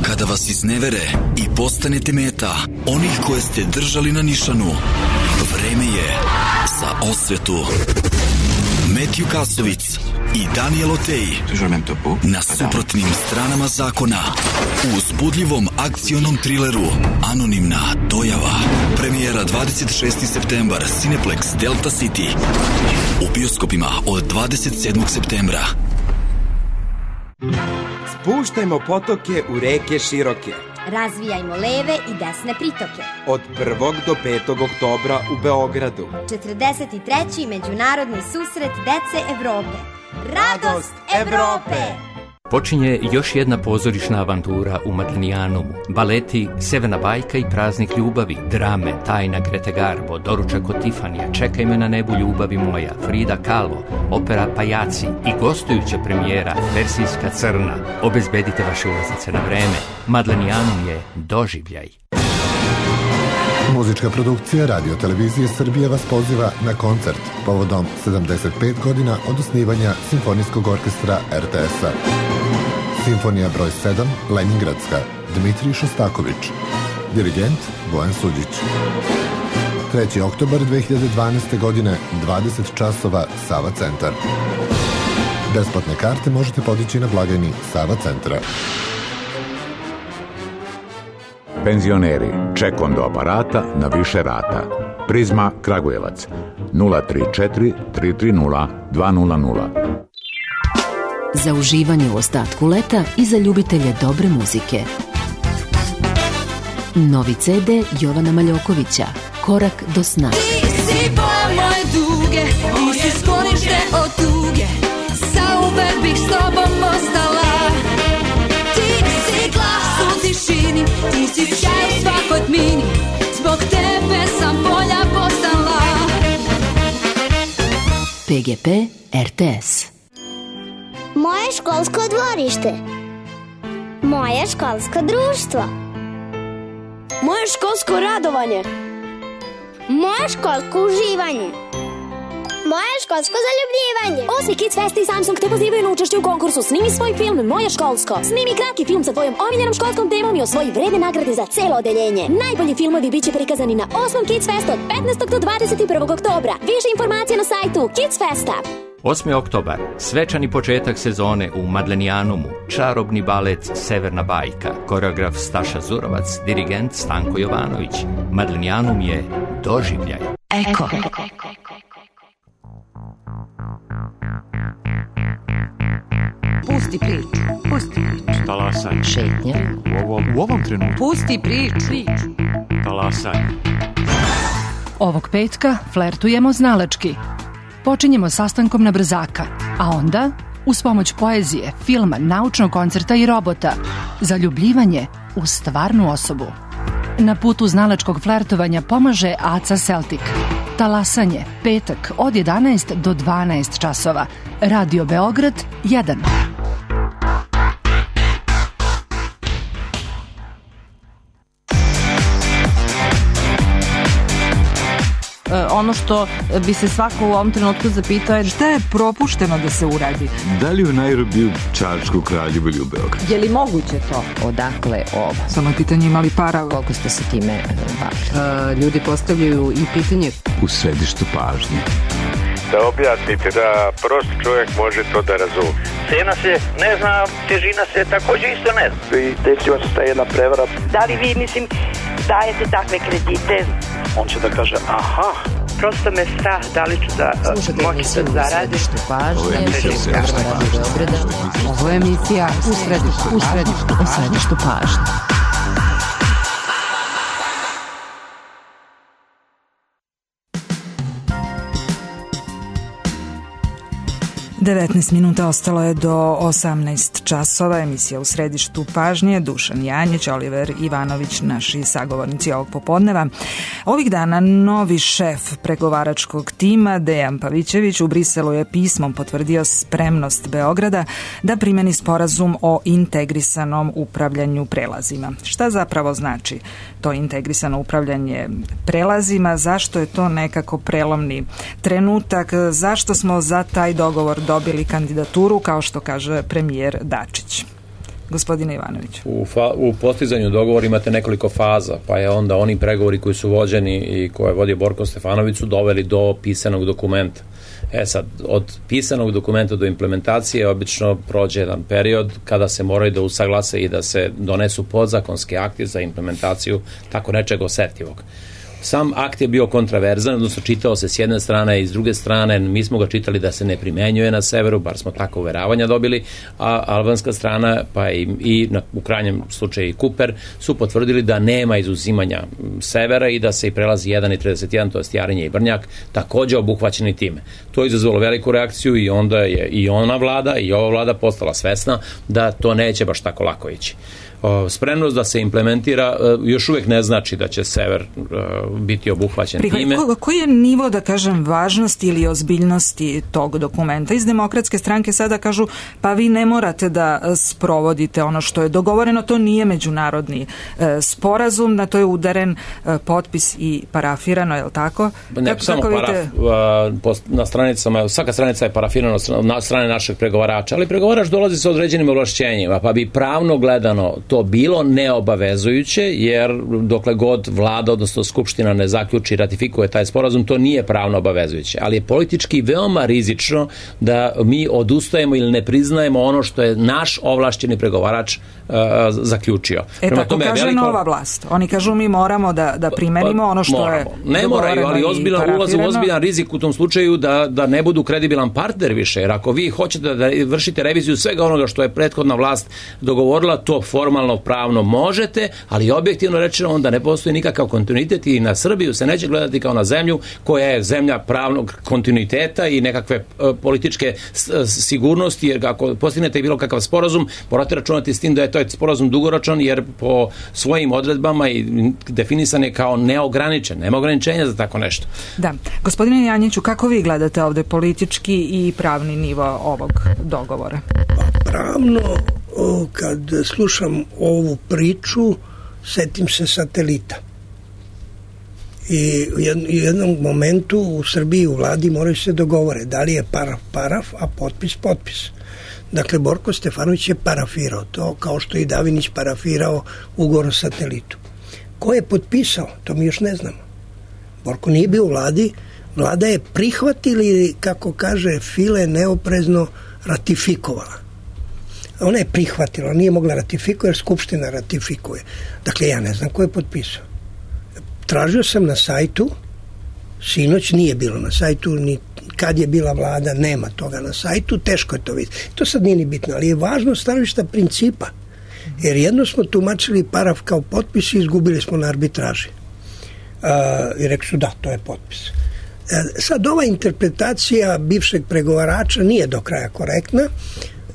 Kada vas iznevere i postanete meta onih koje ste držali na nišanu, vreme je za osvetu. Metju Kasovic i Daniel Otej na suprotnim stranama zakona u uzbudljivom akcionom trileru Anonimna dojava. Premijera dvadeset šesti septembar, Cineplex Delta City. U bioskopima od dvadeset sedmog septembra.
Spuštajmo potoke u reke široke.
Razvijajmo leve i desne pritoke.
Od prvog do petog oktobra u Beogradu.
četrdeset treći Međunarodni susret dece Evrope. Radost Evrope!
Počinje još jedna pozorišna avantura u Matlinijanumu. Baleti Severna bajka i Praznik ljubavi, drame Tajna Grete Garbo, Doručak od Tifanija, Čekaj me na nebu ljubavi moja, Frida Kahlo, opera Pajaci i gostujuća premijera Persijska crna. Obezbedite vaše ulaznice na vreme. Matlinijanum je doživljaj.
Muzička produkcija Radio Televizije Srbije vas poziva na koncert povodom sedamdeset pet godina od osnivanja Simfonijskog orkestra er te es-a. Simfonija broj sedam, Leningradska, Dmitrij Šostaković. Dirigent Bojan Suđić. treći oktobar dve hiljade dvanaeste. godine, dvadeset časova, Sava centar. Besplatne karte možete podići na blagajni Sava centra.
Penzioneri, čekom do aparata na više rata. Prizma Kragujevac nula tri četiri tri tri nula dva nula nula.
Za uživanje u ostatku leta i za ljubitelje dobre muzike. Novi ce de Jovana Maljokovića, Korak do sna.
Ti si boja moje duge, ti si sklonište od tuge, zauvek bih s tobom ostala. Ti si glas u tišini, ti si sjaj u svakoj tmini, zbog tebe sam bolja postala.
pe ge pe er te es.
Moje školsko dvorište. Moje školsko društvo.
Moje školsko radovanje.
Moje školsko uživanje. Moje školsko zaljubljivanje.
Osmi Kids Fest i Samsung te pozivaju na učešće u konkursu Snimi svoj film Moje školsko. Snimi kratki film sa tvojom omiljenom školskom temom i osvoji vredne nagrade za celo odeljenje. Najbolji filmovi biće prikazani na osmom Kids Festu od petnaestog do dvadeset prvog oktobra. Više informacija na sajtu Kids Festa.
osmi oktobar, svečani početak sezone u Madlenijanumu, čarobni balet Severna bajka, koreograf Staša Zurovac, dirigent Stanko Jovanović. Madlenijanum je doživljaj.
Eko.
Pusti priču, pusti priču.
Talasanje.
Šetnja.
U ovom, u ovom trenutku.
Pusti priču.
Talasanje.
Ovog petka flertujemo znalački. Počinjemo sastankom na brzaka, a onda, uz pomoć poezije, filma, naučnog koncerta i robota, zaljubljivanje u stvarnu osobu. Na putu znalačkog flertovanja pomaže A C A Celtic. Talasanje, petak od jedanaest do dvanaest časova. Radio Beograd jedan.
Ono što bi se svako u ovom trenutku zapitao je
šta je propušteno da se uradi.
Da li u Nairobiju Čačku, Kraljevu ili u Beogradu?
Je li moguće to? Odakle ovo?
Samo je pitanje ima li para.
Koliko ste se time bavili? Ljudi postavljaju i pitanje
u središtu pažnje.
Da objasnite da prost čovjek može to da razume.
Cena se ne zna, težina se također isto ne zna.
I desila se ta jedna prevara.
Da li vi, mislim, dajete takve kredite?
On će da kaže, aha.
Prosto me strah, da li ću da moći da zaradim.
Ovo je emisija Ovo je emisija u središtu, u središtu, u središtu pažnje.
devetnaest minuta ostalo je do osamnaest časova. Emisija u središtu pažnje. Dušan Janjić, Oliver Ivanović, naši sagovornici ovog popodneva. Ovih dana novi šef pregovaračkog tima Dejan Pavićević u Briselu je pismom potvrdio spremnost Beograda da primeni sporazum o integrisanom upravljanju prelazima. Šta zapravo znači to integrisano upravljanje prelazima? Zašto je to nekako prelomni trenutak? Zašto smo za taj dogovor dobili kandidaturu, kao što kaže premijer Dačić? Gospodine Ivanović.
U, fa, u postizanju dogovora imate nekoliko faza, pa je onda oni pregovori koji su vođeni i koje je vodio Borko Stefanović su doveli do pisanog dokumenta. E sad, od pisanog dokumenta do implementacije obično prođe jedan period kada se moraju da usaglase i da se donesu podzakonski akti za implementaciju tako nečeg osetljivog. Sam akt je bio kontraverzan, odnosno čitao se s jedne strane i s druge strane, mi smo ga čitali da se ne primenjuje na severu, bar smo tako uveravanja dobili, a albanska strana, pa i, i na, u krajnjem slučaju i Kuper, su potvrdili da nema izuzimanja severa i da se i prelazi jedan i trideset jedan, to je Jarinje i Brnjak, takođe obuhvaćeni time. To je izazvalo veliku reakciju i onda je i ona vlada i ova vlada postala svesna da to neće baš tako lako ići. Spremnost da se implementira još uvijek ne znači da će sever biti obuhvaćen
Prihvaj,
time.
Ko, koji je nivo, da kažem, važnosti ili ozbiljnosti tog dokumenta? Iz Demokratske stranke sada kažu, pa vi ne morate da sprovodite ono što je dogovoreno, to nije međunarodni e, sporazum, na to je udaren e, potpis i parafirano, je li tako?
Ne,
kako,
samo
kako
paraf,
vidite?
na stranicama, svaka stranica je parafirana na strane našeg pregovarača, ali pregovarač dolazi sa određenim ovlašćenjima, pa bi pravno gledano to bilo neobavezujuće, jer dokle god vlada, odnosno skupština ne zaključi i ratifikuje taj sporazum, to nije pravno obavezujuće. Ali je politički veoma rizično da mi odustajemo ili ne priznajemo ono što je naš ovlašćeni pregovarač uh, zaključio.
E
Prema
tako
tome,
kaže
veliko...
nova vlast. Oni kažu mi moramo da, da primenimo ono što
moramo.
je
Ne moraju, ali ozbiljan ulaz u ozbiljan rizik u tom slučaju da, da ne budu kredibilan partner više, jer ako vi hoćete da vršite reviziju svega onoga što je prethodna vlast dogovorila, to formalno pravno možete, ali objektivno rečeno onda ne postoji nikakav kontinuitet i na Srbiju se neće gledati kao na zemlju koja je zemlja pravnog kontinuiteta i nekakve uh, političke s, sigurnosti, jer ako postignete bilo kakav sporazum, morate računati s tim da je to sporazum dugoročan, jer po svojim odredbama i definisan je kao neograničen, nema ograničenja za tako nešto.
Da. Gospodine Janjiću, kako vi gledate ovde politički i pravni nivo ovog dogovora?
Pravno, kad slušam ovu priču, setim se satelita. I u jednom momentu u Srbiji u vladi moraju se dogovore da li je paraf paraf, a potpis potpis. Dakle, Borko Stefanović je parafirao to, kao što i Davinić parafirao ugovor o satelitu. Ko je potpisao? To mi još ne znamo. Borko nije bio u vladi, vlada je prihvatila ili, kako kaže File, neoprezno ratifikovala. Ona je prihvatila, nije mogla ratifikovati jer Skupština ratifikuje. Dakle, ja ne znam ko je potpisao. Tražio sam na sajtu, sinoć nije bilo na sajtu, ni kad je bila vlada, nema toga na sajtu, teško je to vidjeti. To sad nije ni bitno, ali je važno stanovišta principa. Jer jedno smo tumačili paraf kao potpis i izgubili smo na arbitraži. Uh, I rekli su da, to je potpis. Uh, sad ova interpretacija bivšeg pregovarača nije do kraja korektna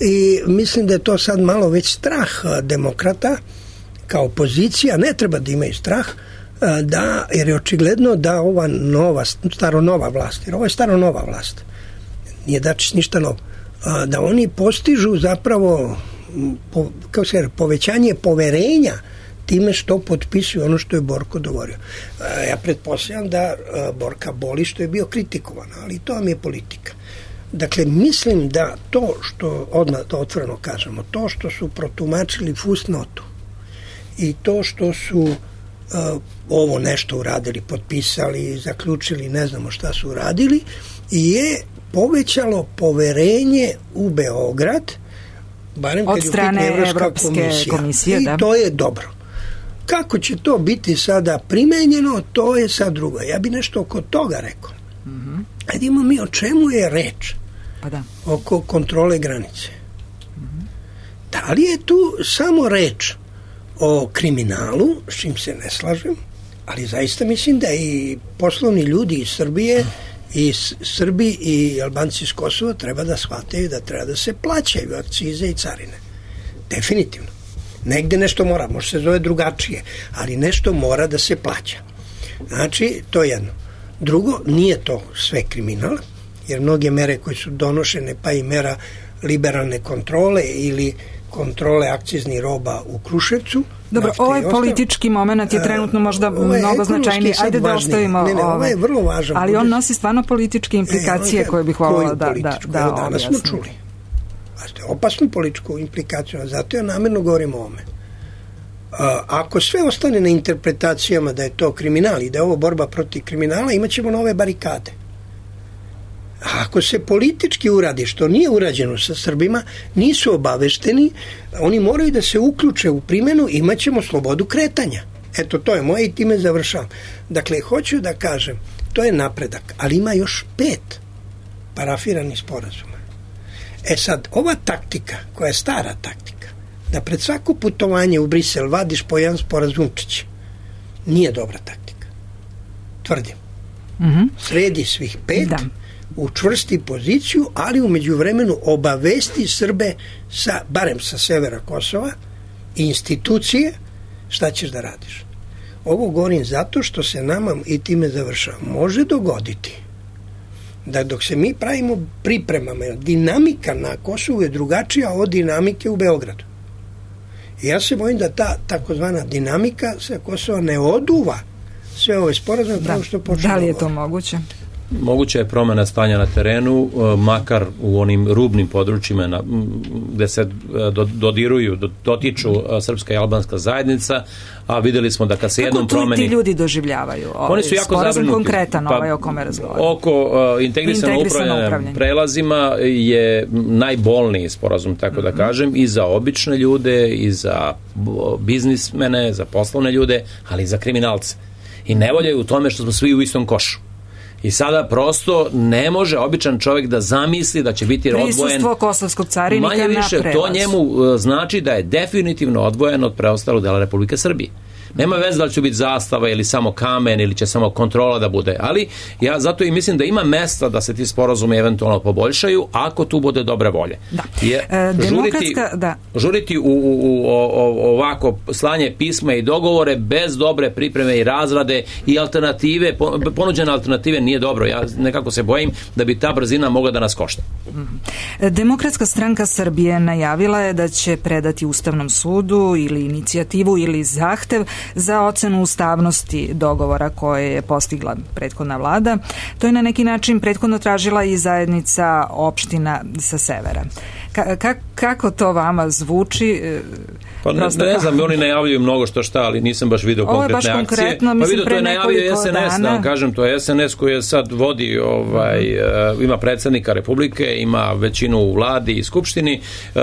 i mislim da je to sad malo već strah demokrata kao opozicija, ne treba da imaju strah, da, jer je očigledno da ova nova, staronova vlast, jer ovo je staronova vlast, nije Dačić ništa novo, da oni postižu zapravo po, kao se, povećanje poverenja time što potpisuju ono što je Borko dogovorio. Ja pretpostavljam da Borka boli što je bio kritikovan, ali to vam je politika. Dakle, mislim da to što, odmah to otvoreno kažemo, to što su protumačili fusnotu i to što su uh, ovo nešto uradili, potpisali, zaključili, ne znamo šta su uradili, je povećalo poverenje u Beograd, barem
od
kad
strane
je Evropska
Evropske
komisija.
komisije,
I
da.
to je dobro. Kako će to biti sada primenjeno, to je sad drugo. Ja bi nešto oko toga rekao.
Mm-hmm.
Ajde imamo mi o čemu je reč.
Pa da.
Oko kontrole granice. Mm-hmm. Da li je tu samo reč o kriminalu, s čim se ne slažem, ali zaista mislim da i poslovni ljudi iz Srbije i Srbi i Albanci iz Kosova treba da shvataju da treba da se plaćaju akcize i carine. Definitivno. Negde nešto mora, može se zove drugačije, ali nešto mora da se plaća. Znači, to je jedno. Drugo, nije to sve kriminal, jer mnoge mere koje su donošene, pa i mera liberalne kontrole ili kontrole akciznih roba u Kruševcu.
Dobro, ovaj politički moment je trenutno možda mnogo značajniji. Ajde da ostavimo
ne, ne, ovo je vrlo važan.
Ali on nosi stvarno političke implikacije e, koje bih voljela da, da, da
objasnim. Danas smo čuli. Opasnu političku implikaciju, zato ja namjerno govorim o ovome. Ako sve ostane na interpretacijama da je to kriminal i da je ovo borba protiv kriminala, imat ćemo nove barikade. A ako se politički uradi, što nije urađeno sa Srbima, nisu obavešteni, oni moraju da se uključe u primjenu, imat ćemo slobodu kretanja. Eto, to je moje i time završavam. Dakle, hoću da kažem, to je napredak, ali ima još pet parafiranih sporazuma. E sad, ova taktika, koja je stara taktika, da pred svako putovanje u Brisel vadiš po jedan sporazumčić, nije dobra taktika. Tvrdim.
Mm-hmm.
Sredi svih pet,
da.
Učvrsti poziciju, ali u međuvremenu obavesti Srbe, sa, barem sa severa Kosova, i institucije, šta ćeš da radiš. Ovo govorim zato što se nama, i time završavam, može dogoditi da dok se mi pravimo pripremama, dinamika na Kosovu je drugačija od dinamike u Beogradu. I ja se bojim da ta takozvana dinamika sa Kosova ne oduva sve ove sporazume
da.
što počne.
Da li je to moguće?
Moguće je promjena stanja na terenu, makar u onim rubnim područjima na, gde se dodiruju, dotiču srpska i albanska zajednica, a videli smo da kad se jednom promeni...
Kako tu ti ljudi doživljavaju? Ovaj,
oni su jako zabrinuti.
Konkretan
pa,
ovaj o kome razgovaramo.
Oko uh, integrisano upravljanje, upravljanje prelazima je najbolniji sporazum, tako mm-hmm. da kažem, i za obične ljude, i za biznismene, za poslovne ljude, ali i za kriminalce. I nevolja je u tome što smo svi u istom košu. I sada prosto ne može običan čovjek da zamisli da će biti odvojen.
Prisustvo kosovskog carinika
manje više,
na prelaz.
To njemu znači da je definitivno odvojen od preostalog dela Republike Srbije. Nema veze da li će biti zastava ili samo kamen ili će samo kontrola da bude, ali ja zato i mislim da ima mesta da se ti sporazumi eventualno poboljšaju ako tu bude dobre volje.
Da.
Je,
e,
žuriti, da. žuriti u, u, u o, ovako slanje pisma i dogovore bez dobre pripreme i razrade i alternative, ponuđene alternative nije dobro. Ja nekako se bojim da bi ta brzina mogla da nas košta.
Demokratska stranka Srbije najavila je da će predati Ustavnom sudu ili inicijativu ili zahtev za ocenu ustavnosti dogovora koje je postigla prethodna vlada. To je na neki način prethodno tražila i zajednica opština sa severa. Ka- ka- kako to vama zvuči?
Pa ne, ne znam, oni najavljuju mnogo što šta, ali nisam baš vidio konkretne akcije. Pa vidio, to je najavio es en es, da kažem, to je es en es koji je sad vodi, ovaj, uh, ima predsjednika Republike, ima većinu u vladi i skupštini, uh,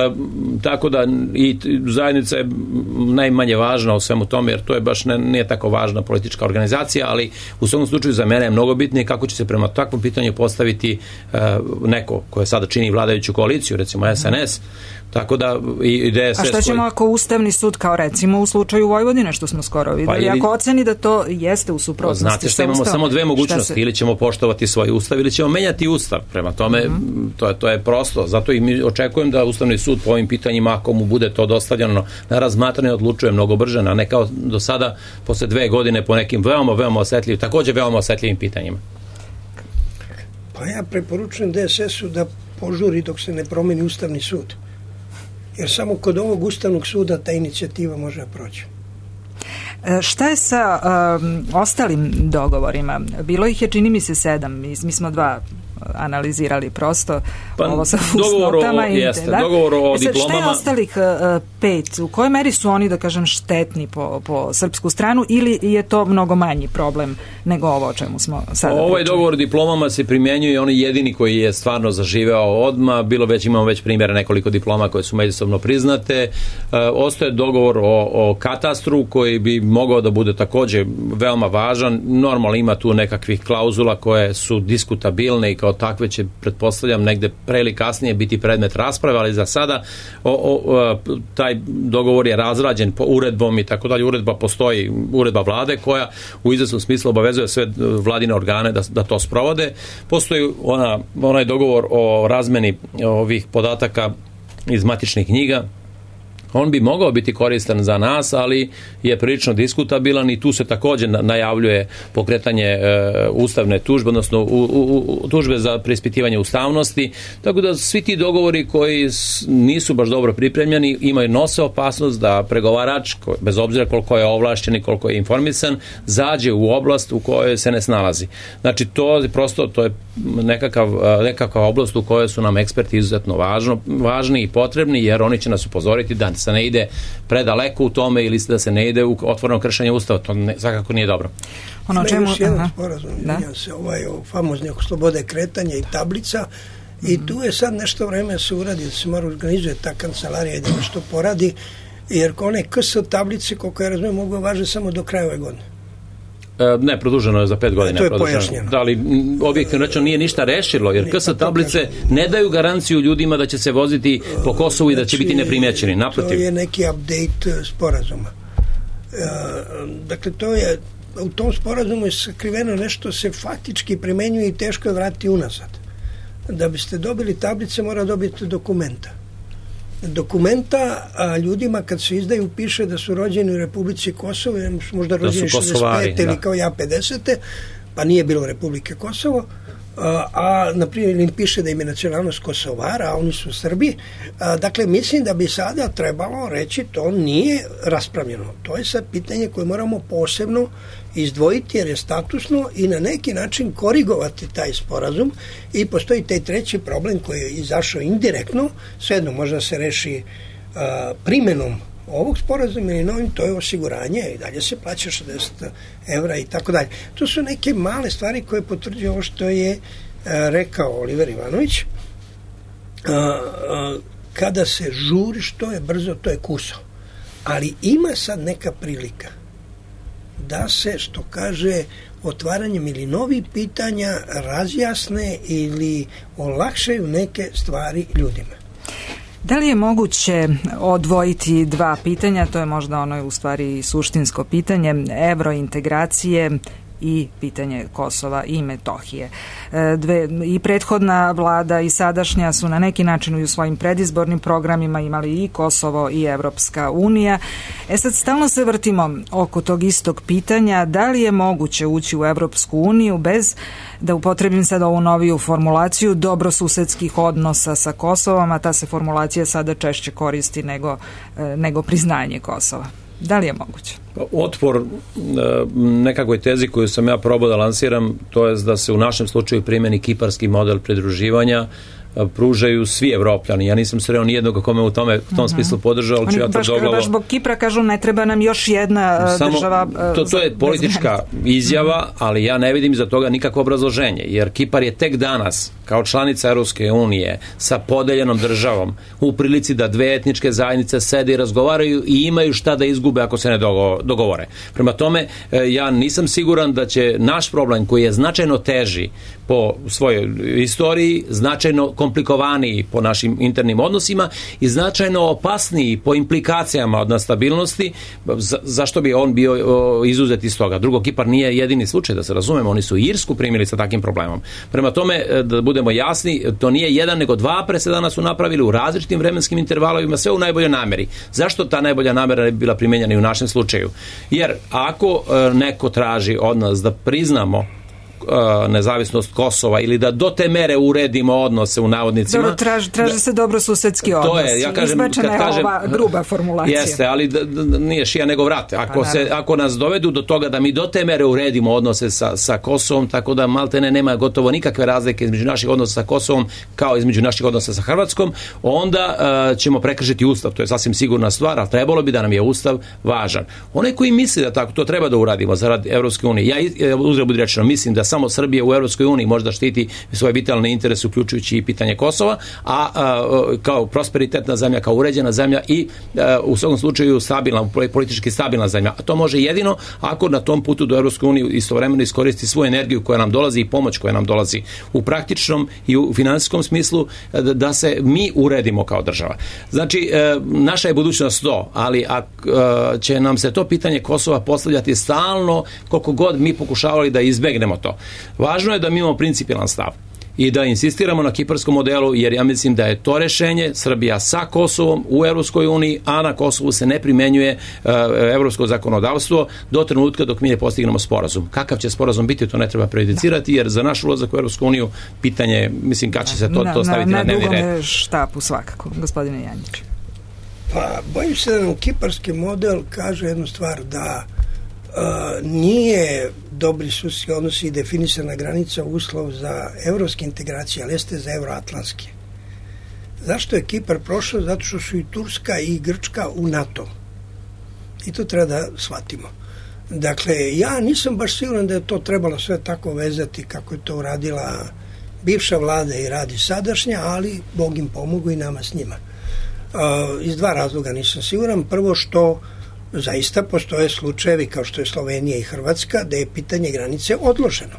tako da i zajednica je najmanje važna u svemu tome, jer to je baš ne, nije tako važna politička organizacija, ali u svakom slučaju za mene je mnogo bitnije kako će se prema takvom pitanju postaviti uh, neko koje sada čini vladajuću koaliciju, recimo es en es. Tako da i D S S.
A šta ćemo ako Ustavni sud, kao recimo u slučaju Vojvodine što smo skoro videli, pa ili, ako oceni da to jeste u suprotnosti?
Znate što imamo samo dve mogućnosti, se... ili ćemo poštovati svoj ustav ili ćemo menjati ustav. Prema tome mm-hmm. to je to je prosto. Zato i mi očekujem da Ustavni sud po ovim pitanjima, ako mu bude to dostavljeno na razmatranje, odlučuje mnogo brže, a ne kao do sada posle dve godine po nekim veoma veoma osetljivim, takođe veoma osetljivim pitanjima.
Pa ja preporučujem D S S-u da požuri dok se ne promeni Ustavni sud. Jer samo kod ovog Ustavnog suda ta inicijativa može proći.
E, šta je sa um, ostalim dogovorima? Bilo ih je, čini mi se, sedam. Mi, mi smo dva analizirali prosto, pa, ovo sa fusnotama.
O, jeste, da? Dogovor o
e sad,
diplomama.
Šta je ostalih uh, pet? U kojoj meri su oni, da kažem, štetni po, po srpsku stranu ili je to mnogo manji problem nego ovo o čemu smo sada pričali?
Ovaj dogovor o diplomama se primjenjuje, on je jedini koji je stvarno zaživeo odmah. Bilo već, imamo već primjera nekoliko diploma koje su međusobno priznate. Uh, ostaje dogovor o, o katastru koji bi mogao da bude takođe veoma važan. Normalno ima tu nekakvih klauzula koje su diskutabilne i kao takve će, pretpostavljam, negde pre ili kasnije biti predmet rasprave, ali za sada o, o, taj dogovor je razrađen po uredbom i tako dalje. Uredba postoji, uredba vlade koja u izvesnom smislu obavezuje sve vladine organe da, da to sprovode. Postoji ona, onaj dogovor o razmeni ovih podataka iz matičnih knjiga. On bi mogao biti koristan za nas, ali je prilično diskutabilan i tu se također najavljuje pokretanje e, ustavne tužbe, odnosno u, u, u, tužbe za preispitivanje ustavnosti, tako da svi ti dogovori koji nisu baš dobro pripremljeni imaju nose opasnost da pregovarač, bez obzira koliko je ovlašćen i koliko je informisan, zađe u oblast u kojoj se ne snalazi. Znači to je prosto, to je nekakav, nekakav oblast u kojoj su nam eksperti izuzetno važno, važni i potrebni, jer oni će nas upozoriti da se ne ide predaleko u tome ili da se ne ide u otvoreno kršenje ustava. To ne, svakako nije dobro.
Ono čemu... Još jedan sporazum, da? Se ovaj o famozni oko slobode kretanja i tablica mm-hmm. i tu je sad nešto vreme se uradi, da se mora organizuje ta kancelarija i da nešto poradi jer one K S tablice, koliko ja razumijem, mogu važe samo do kraja ove godine.
Ne, produženo je za pet godina.
To je pojašnjeno.
Da li objektivno rečeno nije ništa rešilo, jer K S tablice ne daju garanciju ljudima da će se voziti po Kosovu i da će biti neprimećeni. Naprotiv.
To je neki update sporazuma. Dakle, to je, u tom sporazumu je sakriveno nešto se faktički primenjuje i teško je vratiti unazad. Da biste dobili tablice, mora dobiti dokumenta. Dokumenta a, ljudima kad se izdaju piše da su rođeni u Republici Kosovo, možda rođeni šezdeset pete ili kao ja pedesete, pa nije bilo Republike Kosovo, a, a na primjer im piše da im je nacionalnost Kosovara, a oni su Srbi. A, dakle, mislim da bi sada trebalo reći to nije raspravljeno. To je sad pitanje koje moramo posebno izdvojiti jer je statusno i na neki način korigovati taj sporazum i postoji taj treći problem koji je izašao indirektno, svejedno možda se reši a, primjenom ovog sporazuma ili novim, to je osiguranje i dalje se plaća šezdeset evra i tako dalje. To su neke male stvari koje potvrđuju ovo što je a, rekao Oliver Ivanović. A, a, kada se žuri što je brzo, to je kuso. Ali ima sad neka prilika da se, što kaže, otvaranjem ili novih pitanja razjasne ili olakšaju neke stvari ljudima.
Da li je moguće odvojiti dva pitanja, to je možda ono u stvari suštinsko pitanje, evrointegracije i pitanje Kosova i Metohije. Dve, i prethodna vlada i sadašnja su na neki način u svojim predizbornim programima imali i Kosovo i Evropska unija. E sad stalno se vrtimo oko tog istog pitanja, da li je moguće ući u Evropsku uniju bez, da upotrebim sad ovu noviju formulaciju, dobrosusedskih odnosa sa Kosovom, a ta se formulacija sada češće koristi nego, nego priznanje Kosova. Da li je moguće?
Otpor nekakvoj tezi koju sam ja probao da lansiram, to je da se u našem slučaju primjeni kiparski model pridruživanja, pružaju svi Evropljani. Ja nisam sreo nijednog kome u tome u tom smislu podržao, ali ću ja to doglavo...
Baš zbog Kipra kažu ne treba nam još jedna Samo, država...
To, to je politička izjava, ali ja ne vidim za toga nikakvo obrazloženje, jer Kipar je tek danas, kao članica Europske unije, sa podeljenom državom, u prilici da dve etničke zajednice sede i razgovaraju i imaju šta da izgube ako se ne dogovore. Prema tome, ja nisam siguran da će naš problem, koji je značajno teži po svojoj istoriji, značajno komplikovaniji po našim internim odnosima i značajno opasniji po implikacijama od nestabilnosti, za, zašto bi on bio o, izuzet iz toga. Drugo, Kipar nije jedini slučaj, da se razumemo, oni su Irsku primili sa takvim problemom. Prema tome, da budemo jasni, to nije jedan, nego dva presedana su napravili u različitim vremenskim intervalovima, sve u najboljoj nameri. Zašto ta najbolja namera ne bi bila primijenjena i u našem slučaju? Jer ako e, neko traži od nas da priznamo nezavisnost Kosova ili da do te mere uredimo odnose u navodnicima.
Dobro, traži, traži se dobrosusedski odnos.
To je, ja kažem,
izbačena je kažem, ova gruba formulacija.
Jeste, ali da, da, nije šija nego vrate. Ako, se, ako nas dovedu do toga da mi do te mere uredimo odnose sa, sa Kosovom, tako da maltene nema gotovo nikakve razlike između naših odnosa sa Kosovom kao između naših odnosa sa Hrvatskom, onda uh, ćemo prekršiti Ustav. To je sasvim sigurna stvar, ali trebalo bi da nam je Ustav važan. Onaj koji misli da tako to treba da uradimo zarad Evropske unije, ja uzgled budi rečeno mislim da samo Srbija u Evropskoj uniji možda štiti svoje vitalne interese, uključujući i pitanje Kosova, a, a kao prosperitetna zemlja, kao uređena zemlja i a, u svakom slučaju stabilna, politički stabilna zemlja. A to može jedino ako na tom putu do Evropske unije istovremeno iskoristi svoju energiju koja nam dolazi i pomoć koja nam dolazi u praktičnom i u finansijskom smislu da, da se mi uredimo kao država. Znači, e, naša je budućnost to, ali a, a, će nam se to pitanje Kosova postavljati stalno koliko god mi pokušavali da izbegnemo to. Važno je da mi imamo principijelan stav i da insistiramo na kiparskom modelu, jer ja mislim da je to rešenje, Srbija sa Kosovom u Evropskoj uniji, a na Kosovu se ne primenjuje uh, evropsko zakonodavstvo do trenutka dok mi ne postignemo sporazum. Kakav će sporazum biti, to ne treba prejudicirati, jer za naš ulazak u Evropsku uniju pitanje, mislim, kad će se to,
na,
to staviti na, na dnevni red.
Na dugom štapu svakako, gospodine Janjić.
Pa, bojim se da nam kiparski model kaže jednu stvar, da Uh, nije dobri susedski odnosi i definisana granica uslov za evropske integracije, ali jeste za euroatlantske. Zašto je Kipar prošao? Zato što su i Turska i Grčka u NATO. I to treba da shvatimo. Dakle, ja nisam baš siguran da je to trebalo sve tako vezati kako je to uradila bivša vlada i radi sadašnja, ali Bog im pomogu i nama s njima. Iz dva razloga nisam siguran. Prvo što zaista postoje slučajevi kao što je Slovenija i Hrvatska da je pitanje granice odloženo.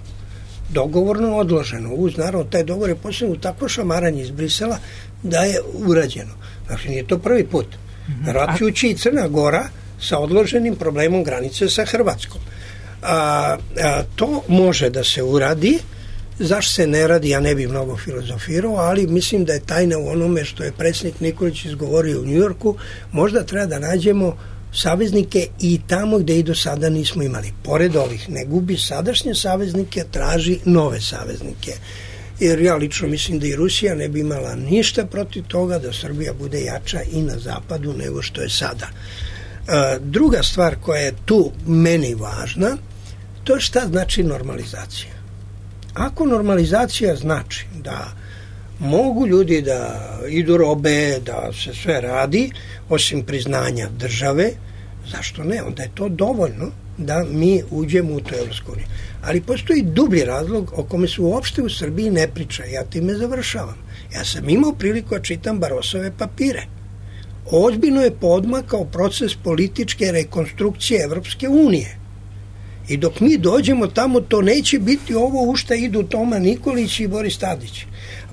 Dogovorno odloženo. Uz naravno taj dogovor je posebno takvo šamaranje iz Brisela da je urađeno. Znači nije to prvi put. Račujući i Crna Gora sa odloženim problemom granice sa Hrvatskom. A, a, to može da se uradi. Zašto se ne radi, ja ne bih mnogo filozofirao, ali mislim da je tajna u onome što je predsjednik Nikolić izgovorio u Njujorku. Možda treba da nađemo saveznike i tamo gde i do sada nismo imali. Pored ovih, ne gubi sadašnje saveznike, traži nove saveznike. Jer ja lično mislim da i Rusija ne bi imala ništa protiv toga da Srbija bude jača i na zapadu nego što je sada. E, druga stvar koja je tu meni važna, to je šta znači normalizacija. Ako normalizacija znači da mogu ljudi da idu robe, da se sve radi, osim priznanja države, zašto ne? Onda je to dovoljno da mi uđemo u tu Evropsku uniju. Ali postoji dublji razlog o kome se uopšte u Srbiji ne priča. Ja time završavam. Ja sam imao priliku da čitam Barosove papire. Ozbiljno je podmakao proces političke rekonstrukcije Evropske unije. I dok mi dođemo tamo, to neće biti ovo u šta idu Toma Nikolić i Boris Tadić.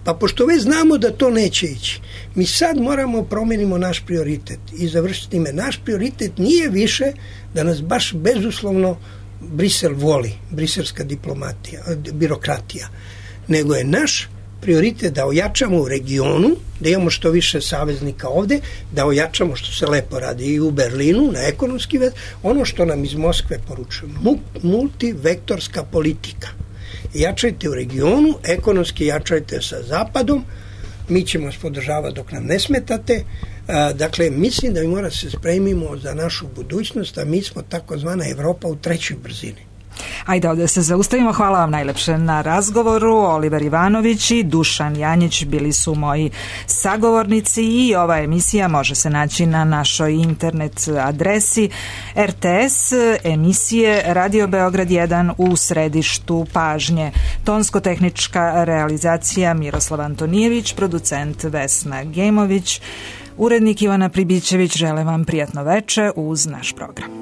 Pa pošto već znamo da to neće ići, mi sad moramo promenimo naš prioritet i završiti time. Naš prioritet nije više da nas baš bezuslovno Brisel voli, briselska diplomatija, birokratija, nego je naš prioritet da ojačamo u regionu, da imamo što više saveznika ovde, da ojačamo što se lepo radi i u Berlinu na ekonomski vez, ono što nam iz Moskve poručuju, multivektorska politika. Jačajte u regionu, ekonomski jačajte sa zapadom, mi ćemo vas podržavati dok nam ne smetate. Dakle, mislim da mi mora se spremimo za našu budućnost, a mi smo takozvana Evropa u trećoj brzini.
Ajde ovdje se zaustavimo. Hvala vam najlepše na razgovoru. Oliver Ivanović i Dušan Janjić bili su moji sagovornici i ova emisija može se naći na našoj internet adresi R T S emisije Radio Beograd jedan u središtu pažnje. Tonsko-tehnička realizacija Miroslav Antonijević, producent Vesna Gemović, urednik Ivana Pribićević. Želim vam prijatno veče uz naš program.